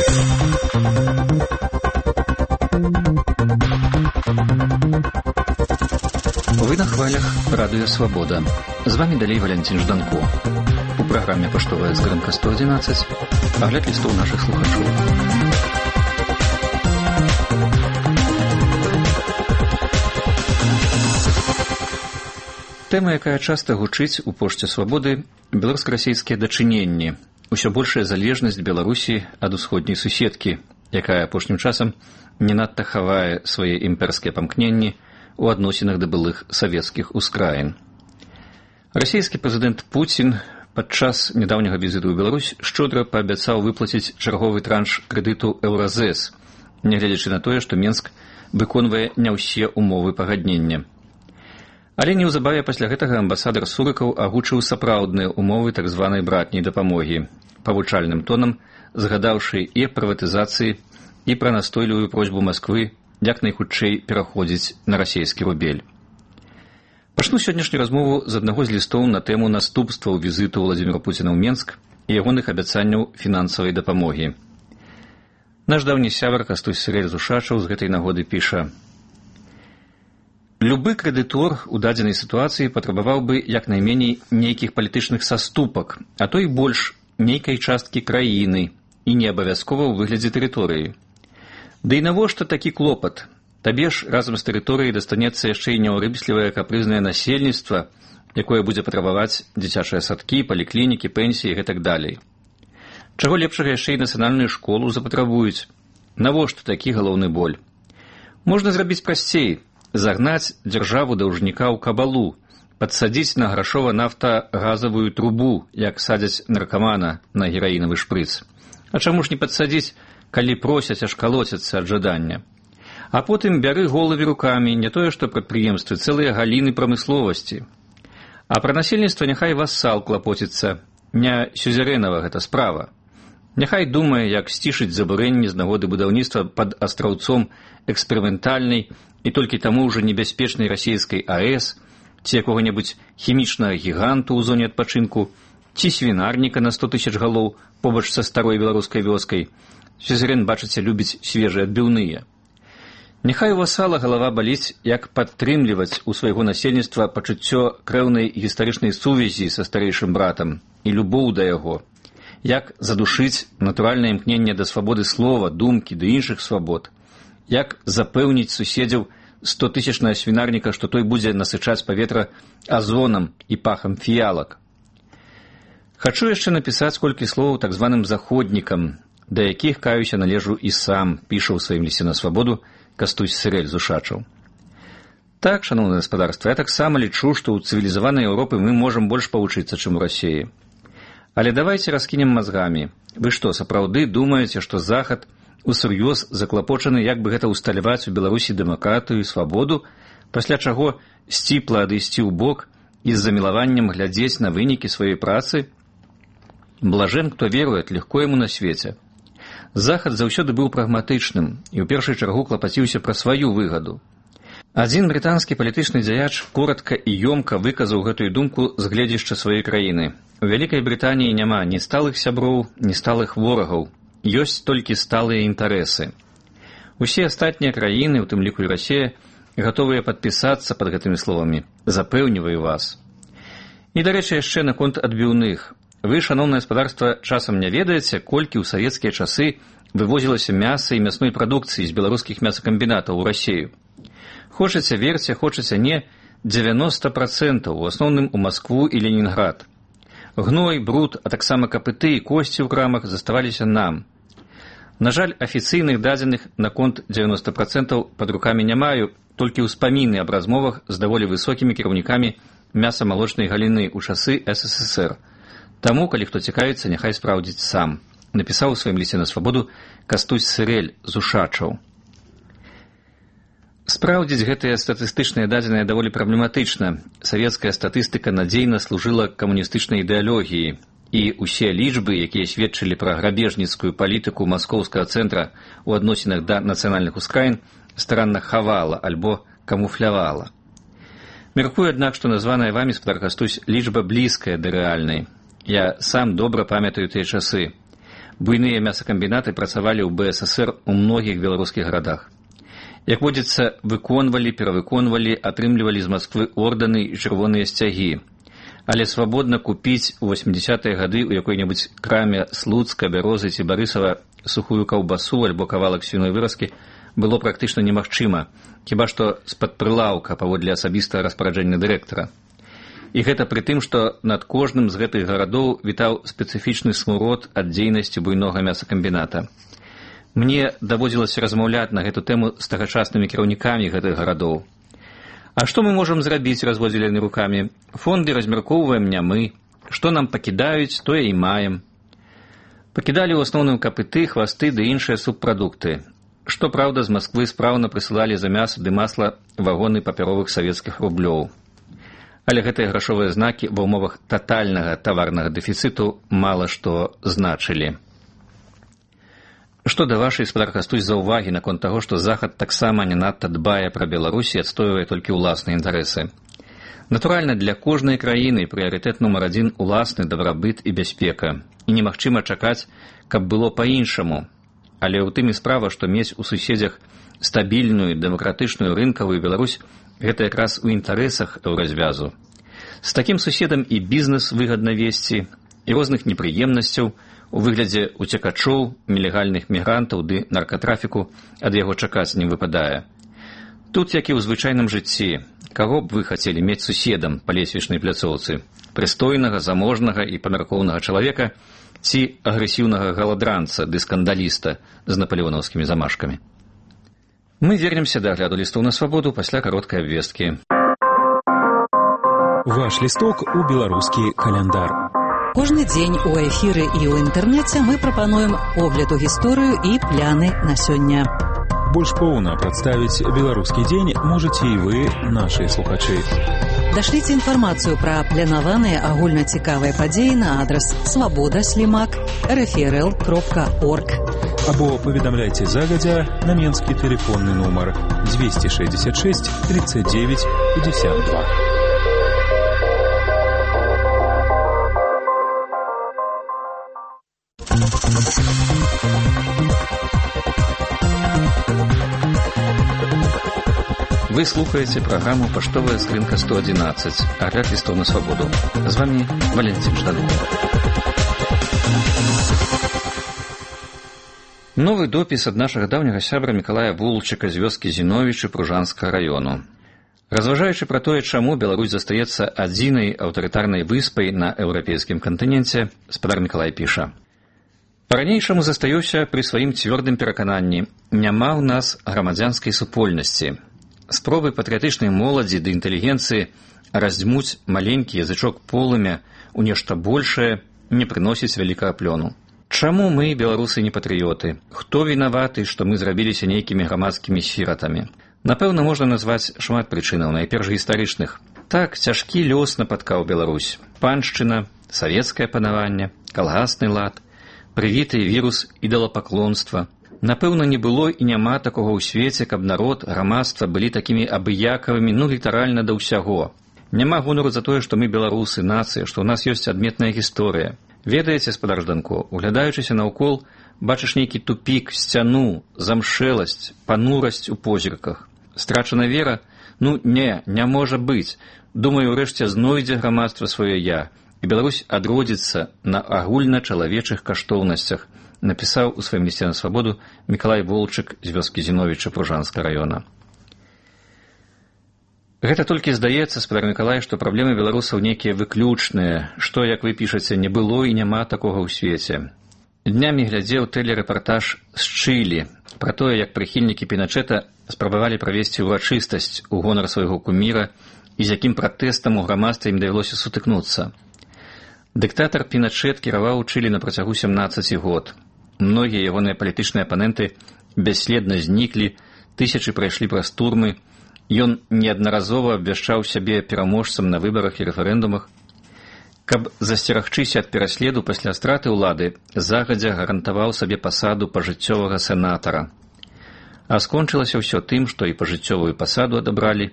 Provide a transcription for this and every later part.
Вы на хвалях Радио Свобода. З вами далей Валентин Жданко. У праграме «Паштовая скрынка 111» агляд лістоў нашых слухачоў. Тэма, якая часта гучыць у пошце «Свабоды» – беларуска-расійскія дачыненні, усё большая залежнасць Беларусі ад усходняй суседкі, якая апошнім часам не надта хавае свае імперскія памкненні у адносінах да былых савецкіх ускраін. Расійскі прэзідэнт Пуцін падчас нядаўняга візіту ў Беларусь шчодра паабяцаў выплаціць чарговы транш крэдыту Еўразэс, нягледзячы на тое, што Менск выконвае не ўсе ўмовы пагаднення. Але неўзабаве пасля гэтага амбасадар Сурыкаў агучыў сапраўдныя ўмовы так званай братняй дапамогі, павучальным тонам згадаўшы і аб прыватызацыі, і пра настойлівую просьбу Масквы як найхутчэй пераходзіць на расійскі рубель. Пачну сённяшнюю размову з аднаго з лістоў на тэму наступстваў візіту Владзіміра Пуціна ў Менск і ягоных абяцанняў фінансавай дапамогі. Наш даўні сябар Кастусь Сырэль з Ушачаў з гэтай нагоды піша: «Любы крэдытор у дадзенай сітуацыі патрабаваў бы як найменей нейкіх палітычных саступак, а то і больш нейкай часткі краіны і не абавязкова ў выглядзе тэрыторыі. Да і навошта такі клопат? Табе ж разам з тэрыторыяй дастанецца яшчэ і няўрыслівае капрызнае насельніцтва, якое будзе патрабаваць дзіцячыя садкі, паліклінікі, пенсіі і гэтак далей. Чаго лепшага яшчэ і нацыянальную школу запатрабуюць? Навошта такі галоўны боль? Можна зрабіць прасцей, загнаць дзяржаву даўжніка ў кабалу, падсадзіць на грашова-нафта-газавую трубу, як садзяць наркамана на гераінавы шпрыц. А чаму ж не падсадзіць, калі просяць, аж калоцяцца ад жадання? А потым бяры головы рукамі, не тое што прадпрыемствы, цэлыя галіны прамысловасці. А пра насельніцтва няхай вассал клапоціцца, не сюзерэнава гэта справа. Няхай думае, як сцішыць забурэнні з нагоды будаўніцтва пад астраўцом эксперыментальнай і толькі таму ўжо небяспечнай расійскай АЭС, ці якога-небудзь хімічнага гіганту ў зоне адпачынку, ці свінарніка на 100 000 галоў побач са старой беларускай вёскай. Сюзерэн, бачыце, любіць свежыя адбіўныя. Няхай у васала галава баліць, як падтрымліваць у свайго насельніцтва пачуццё крэўнай гістарычнай сувязі са старэйшым братам і любоў да яго, як задушыць натуральнае імкненне да свабоды слова, думкі ды іншых свабод, як запэўніць суседзяў 100-тысячнага свінарніка, што той будзе насычаць паветра азонам і пахам фіялак. Хачу яшчэ напісаць колькі словаў так званым заходнікам, да якіх, каюся, належу і сам, піша ў сваім лісце на свабоду Кастусь Сырэль з Ушачаў. Так, шаноўнае гаспадарства, я таксама лічу, што ў цывілізаванай Еўропы мы можам больш павучыцца, чым у Расіі. Але давайце раскінем мазгамі. Вы што, сапраўды думаеце, што Захад усур'ёз заклапочаны, як бы гэта ўсталяваць у Беларусі дэмакратыю і свабоду, пасля чаго сціпла адысці ў бок і з замілаваннем глядзець на вынікі сваёй працы? Блажен, хто верует, легко яму на свеце. Захад заўсёды быў прагматычным і ў першай чаргу клапаціўся пра сваю выгаду. Адзін брытанскі палітычны дзяяч коратка і ёмка выказаў гэтую думку з гледзішча сваёй краіны. У Вялікай Брытаніі няма ні сталых сяброў, ні сталых ворагаў. Ёсць толькі сталыя інтарэсы. Усе астатнія краіны, у тым ліку і Расія, гатовыя падпісацца пад гэтымі словамі. Запэўніваю вас. І, дарэчы, яшчэ наконт адбіўных. Вы, шаноўнае гаспадарства, часам не ведаеце, колькі ў савецкія часы вывозілася мяса і мясной прадукцыі з беларускіх мясакамбінатаў у Расію. Хочаце верце, хочаце не, 90%, у асноўным у Маскву і Ленінград. Гной, бруд, а таксама капыты і косці ў крамах заставаліся нам. На жаль, афіцыйных дадзеных наконт 90% пад рукамі не маю, толькі ўспаміны аб размовах з даволі высокімі кіраўнікамі мяса-малочнай галіны ў часы СССР. Таму, калі хто цікавіцца, няхай спраўдзіць сам. Напісаў у сваім лісце на свабоду Кастусь Сырэль з Ушачаў. Спраўдзіць гэтыя статыстычныя дадзеныя даволі праблематычна. Савецкая статыстыка надзейна служыла камуністычнай ідэалогіі, і ўсе лічбы, якія сведчылі пра грабежніцкую палітыку маскоўскага цэнтра ў адносінах да нацыянальных ускраін, старанна хавала альбо камуфлявала. Мяркую, аднак, што названая вамі, спадар Кастусь, лічба блізкая да рэальнай. Я сам добра памятаю тыя часы. Буйныя мясакамбінаты працавалі ў БССР у многіх беларускіх гарадах. Як водзіцца, выконвалі, перавыконвалі, атрымлівалі з Масквы ордэны і чырвоныя сцягі. Але свабодна купіць у 80-е гады ў якой-небудзь краме Слуцка, Бярозы ці Барысава сухую каўбасу альбо кавалак свіной выразкі было практычна немагчыма, хіба што з-пад прылаўка паводле асабістага распараджэння дырэктара. І гэта пры тым, што над кожным з гэтых гарадоў вітаў спецыфічны смурод ад дзейнасці буйнога мясакамбіната. Мне даводзілася размаўляць на гэту тэму з тагачаснымі кіраўнікамі гэтых гарадоў. А што мы можам зрабіць, разводзілі яны рукамі? Фонды размяркоўваем не мы. Што нам пакідаюць, тое і маем. Пакідалі ў асноўным капыты, хвасты ды іншыя субпрадукты. Што праўда, з Масквы спраўна прысылалі за мяса ды масла вагоны папяровых савецкіх рублёў. Але гэтыя грашовыя знакі ва ўмовах татальнага таварнага дэфіцыту мала што значылі. Што да вашай, спадар Кастусь, заўвагі наконт таго, што Захад таксама не надта дбае пра Беларусь і адстойвае толькі ўласныя інтарэсы. Натуральна, для кожнай краіны прыярытэт нумар адзін уласны дабрабыт і бяспека. І немагчыма чакаць, каб было па-іншаму. Але ў тым і справа, што мець у суседзях стабільную, дэмакратычную рынкавую Беларусь – гэта якраз у інтарэсах еўразвязу. З такім суседам і бізнес выгадна весці, і розных непрыемнасцяў у выглядзе уцекачоў, нелегальных мігрантаў ды наркатрафіку ад яго чакаць не выпадае. Тут, як і ў звычайным жыцці, каго б вы хацелі мець суседам па лесвічнай пляцоўцы? Прыстойнага, заможнага і памяркоўнага чалавека ці агрэсіўнага галадранца ды скандаліста з напалеонаўскімі замашкамі? Мы вернемся да агляду лістоў на свабоду пасля кароткай абвесткі. Ваш лісток у беларускі каляндар. Кожны дзень у эфіры і ў інтэрнэце мы прапануем огляд у гісторыю і пляны на сёння. Больш поўна прадставіць беларускі дзень можаце і вы, нашы слухачы. Дашліце інфармацыю пра планаваныя агульнацікавыя падзеі на адрас svoboda@rfrl.org або паведамляйце загадзя на менскі тэлефонны нумар 266 39 52. Вы слухаеце праграму «Паштовая скрынка 111», агляд лістоў на свабоду. З вами Валентин Жданов. Новы допіс ад нашага даўняга сябра Мікалая Вулчыка з вёскі Зіновічы Пружанскага раёну. Разважаючы пра тое, чаму Беларусь застаецца адзінай аўтарытарнай выспай на еўрапейскім кантыненце, спадар Мікалай піша: «Па-ранейшаму застаюся пры сваім цвёрдым перакананні, няма ў нас грамадзянскай супольнасці. Спробы патрыятычнай моладзі ды інтэлігенцыі раздзьмуць маленькі язычок полымя ў нешта большае не прыносіць вялікага плёну. Чаму мы, беларусы, не патрыёты? Хто вінаваты, што мы зрабіліся нейкімі грамадскімі сіратамі? Напэўна, можна назваць шмат прычынаў, найперш гістарычных. Так, цяжкі лёс напаткаў Беларусь. Паншчына, савецкае панаванне, калгасны лад, прывіты вірус ідалапаклонства. Напэўна, не было і няма такога ў свеце, каб народ, грамадства былі такімі абыякавымі, літаральна да ўсяго. Няма гонару за тое, што мы беларусы, нацыя, што ў нас ёсць адметная гісторыя. Ведаеце, спадар Жданко, углядаючыся наўкол, бачыш нейкі тупік, сцяну, замшэласць, панурасць у позірках. Страчана вера? Не можа быць. Думаю, урэшце знойдзе грамадства сваё я, і Беларусь адродзіцца на агульначалавечых каштоўнасцях, напісаў у сваім лісце на свабоду Мікалай Вулчык з вёскі Зіновіча Пружанскага раёна. Гэта толькі здаецца, спадар Мікалай, што праблемы беларусаў нейкія выключныя, што, як вы пішаце, не было і няма такога ў свеце. Днямі глядзеў тэлерэпартаж з Чылі пра тое, як прыхільнікі Піначэта спрабавалі правесці ўрачыстасць у гонар свайго куміра і з якім пратэстам у грамадстве ім давялося сутыкнуцца. Дыктатар Піначэт кіраваў Чылі на працягу 17 год. Многія ягоныя палітычныя апаненты бясследна зніклі, тысячы прайшлі праз турмы. Ён неаднаразова абвяшчаў сябе пераможцам на выбарах і рэферэндумах. Каб засцерагчыся ад пераследу пасля страты ўлады, загадзя гарантаваў сабе пасаду пажыццёвага сенатара. А скончылася ўсё тым, што і пажыццёвую пасаду адабралі,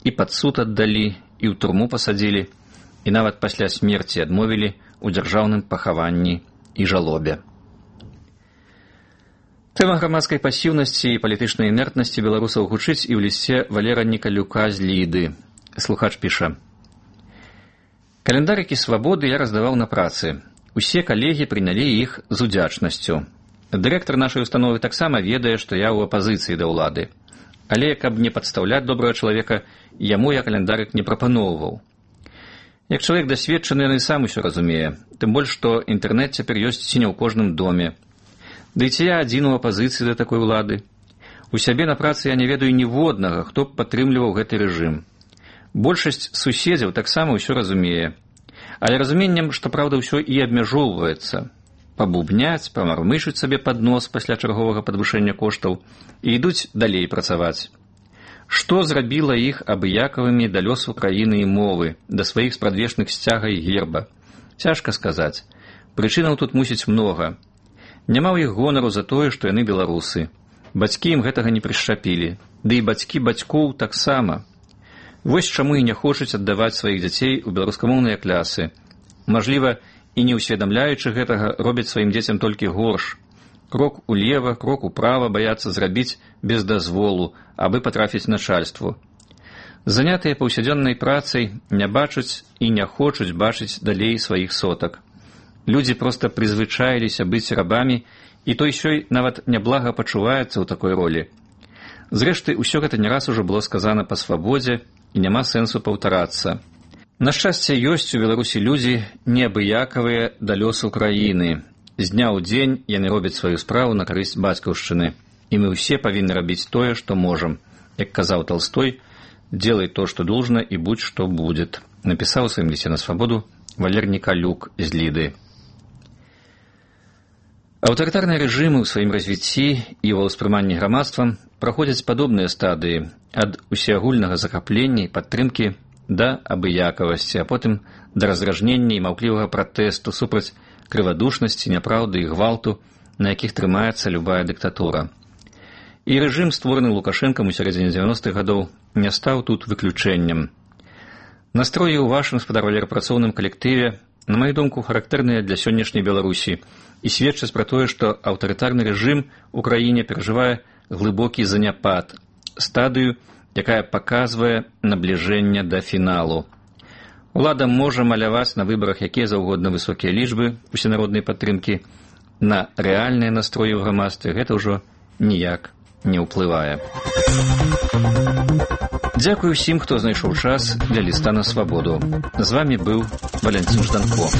і пад суд аддалі, і ў турму пасадзілі, і нават пасля смерці адмовілі ў дзяржаўным пахаванні і жалобе. Тэма грамадскай пасіўнасці і палітычнай інертнасці беларусаў гучыць і ў лісце Валера Николюка з Ліды. Слухач піша: «Календарыкі свабоды я раздаваў на працы. Усе калегі прынялі іх з удзячнасцю. Дырэктар нашай установы таксама ведае, што я ў апазіцыі да ўлады. Але, каб не падстаўляць добрага чалавека, яму я календарык не прапаноўваў. Як чалавек дасведчаны, ён і сам усё разумее. Тым больш, што інтэрнэт цяпер ёсць ці не ў кожным доме. Ды ці я адзін у апазіцыі да такой улады? У сябе на працы я не ведаю ніводнага, хто б падтрымліваў гэты рэжым. Большасць суседзяў таксама ўсё разумее. Але разуменнем, што праўда ўсё і абмяжоўваецца. Пабубняць, памармышыць сабе пад нос пасля чарговага падвышэння коштаў і ідуць далей працаваць. Што зрабіла іх абыякавымі да лёсу краіны і мовы, да сваіх спрадвечных сцяга і герба? Цяжка сказаць. Прычынаў тут мусіць многа. Няма ў іх гонару за тое, што яны беларусы. Бацькі ім гэтага не прышчапілі. Ды і бацькі бацькоў таксама. Вось чаму і не хочуць аддаваць сваіх дзяцей у беларускамоўныя клясы. Мажліва, і не ўсведамляючы гэтага, робяць сваім дзецям толькі горш. Крок улева, крок управа баяцца зрабіць без дазволу, абы патрафіць начальству. Занятыя паўсядзённай працай не бачаць і не хочуць бачыць далей сваіх сотак. Людзі проста прызвычаіліся быць рабамі, і той сёй нават няблага пачуваецца ў такой ролі. Зрэшты, усё гэта не раз ужо было сказана па свабодзе, і няма сэнсу паўтарацца. На шчасце, ёсць у Беларусі людзі неабыякавыя да лёсу краіны. З дня ў дзень яны робяць сваю справу на карысць бацькаўшчыны. І мы ўсе павінны рабіць тое, што можам. Як казаў Толстой, «Делай то, что должно, и будь, что будет», напісаў у сваім лісце на свабоду Валер Николюк з Ліды. Аўтарытарныя рэжымы ў сваім развіцці і ва ўспрыманні грамадствам праходзяць падобныя стадыі ад усеагульнага захаплення і падтрымкі да абыякавасці, а потым да раздражнення і маўклівага пратэсту супраць крывадушнасці, няпраўды і гвалту, на якіх трымаецца любая дыктатура. І рэжым, створаны Лукашэнкам у сярэдзіне 90-х гадоў, не стаў тут выключэннем. Настроі ў вашым спадарвалерапрацоўным калектыве, на маю думку, характэрныя для сённяшняй Беларусі і сведчаць пра тое, што аўтарытарны рэжым у краіне перажывае глыбокі заняпад, стадыю, якая паказвае набліжэнне да фіналу. Улада можа маляваць на выбарах якія заўгодна высокія лічбы усенароднай падтрымкі, на рэальныя настроі ў грамадстве гэта ўжо ніяк не ўплывае. Дзякую ўсім, хто знайшоў час для ліста на свабоду. З вамі быў Валянцін Жданко.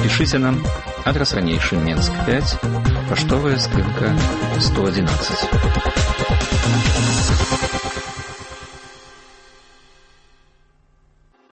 Пішыце нам, адрас ранейшы, Менск 5, паштовая скрынка 111.